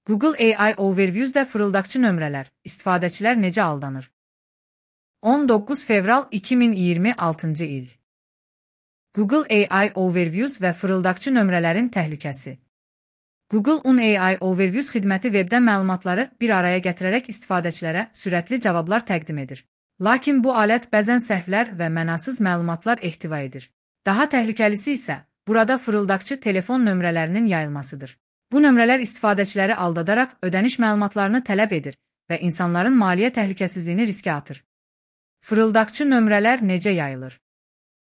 Google AI Overviews'də fırıldaqçı nömrələr, istifadəçilər necə aldanır? 19 fevral 2026-cı il. Google AI Overviews və fırıldaqçı nömrələrin təhlükəsi. Google AI Overviews xidməti webdən məlumatları bir araya gətirərək istifadəçilərə sürətli cavablar təqdim edir. Lakin bu alət bəzən səhvlər və mənasız məlumatlar ehtiva edir. Daha təhlükəlisi isə burada fırıldaqçı telefon nömrələrinin yayılmasıdır. Bu nömrələr istifadəçiləri aldadaraq ödəniş məlumatlarını tələb edir və insanların maliyyə təhlükəsizliyini riskə atır. Fırıldaqçı nömrələr necə yayılır?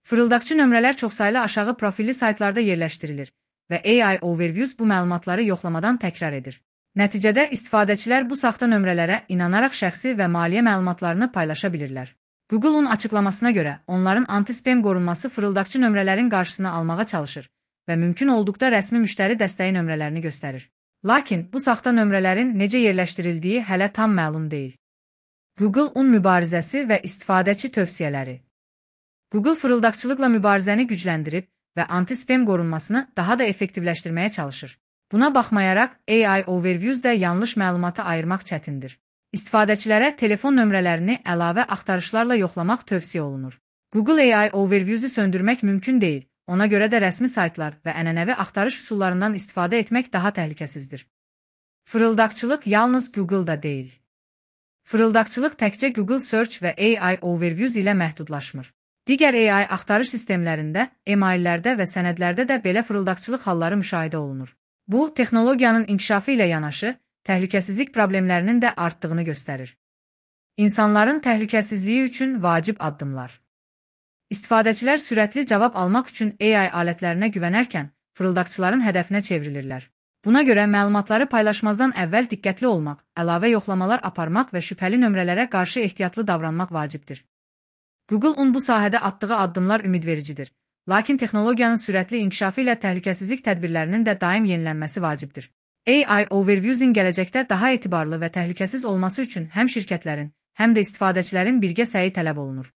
Fırıldaqçı nömrələr çoxsaylı aşağı profilli saytlarda yerləşdirilir və AI Overviews bu məlumatları yoxlamadan təkrar edir. Nəticədə istifadəçilər bu saxta nömrələrə inanaraq şəxsi və maliyyə məlumatlarını paylaşa bilirlər. Google'un açıqlamasına görə onların anti-spam qorunması fırıldaqçı nömrələrin qarşısını almağa çalışır və mümkün olduqda rəsmi müştəri dəstəyi nömrələrini göstərir. Lakin bu saxta nömrələrin necə yerləşdirildiyi hələ tam məlum deyil. Google mübarizəsi və istifadəçi tövsiyələri. Google fırıldaqçılıqla mübarizəni gücləndirib və anti-spam qorunmasını daha da effektivləşdirməyə çalışır. Buna baxmayaraq, AI Overviews'də yanlış məlumatı ayırmaq çətindir. İstifadəçilərə telefon nömrələrini əlavə axtarışlarla yoxlamaq tövsiyə olunur. Google AI Overviews'u söndürmək mümkün deyil, ona görə də rəsmi saytlar və ənənəvi axtarış üsullarından istifadə etmək daha təhlükəsizdir. Fırıldaqçılıq yalnız Google'da deyil. Fırıldaqçılıq təkcə Google Search və AI Overviews ilə məhdudlaşmır. Digər AI axtarış sistemlərində, emaillərdə və sənədlərdə də belə fırıldaqçılıq halları müşahidə olunur. Bu, texnologiyanın inkişafı ilə yanaşı, təhlükəsizlik problemlərinin də artdığını göstərir. İnsanların təhlükəsizliyi üçün vacib addımlar. İstifadəçilər sürətli cavab almaq üçün AI alətlərinə güvənərkən, fırıldaqçıların hədəfinə çevrilirlər. Buna görə məlumatları paylaşmazdan əvvəl diqqətli olmaq, əlavə yoxlamalar aparmaq və şübhəli nömrələrə qarşı ehtiyatlı davranmaq vacibdir. Google bu sahədə atdığı addımlar ümidvericidir. Lakin texnologiyanın sürətli inkişafı ilə təhlükəsizlik tədbirlərinin də daim yenilənməsi vacibdir. AI Overviews'in gələcəkdə daha etibarlı və təhlükəsiz olması üçün həm şirkətlərin, həm də istifadəçilərin birgə səyi tələb olunur.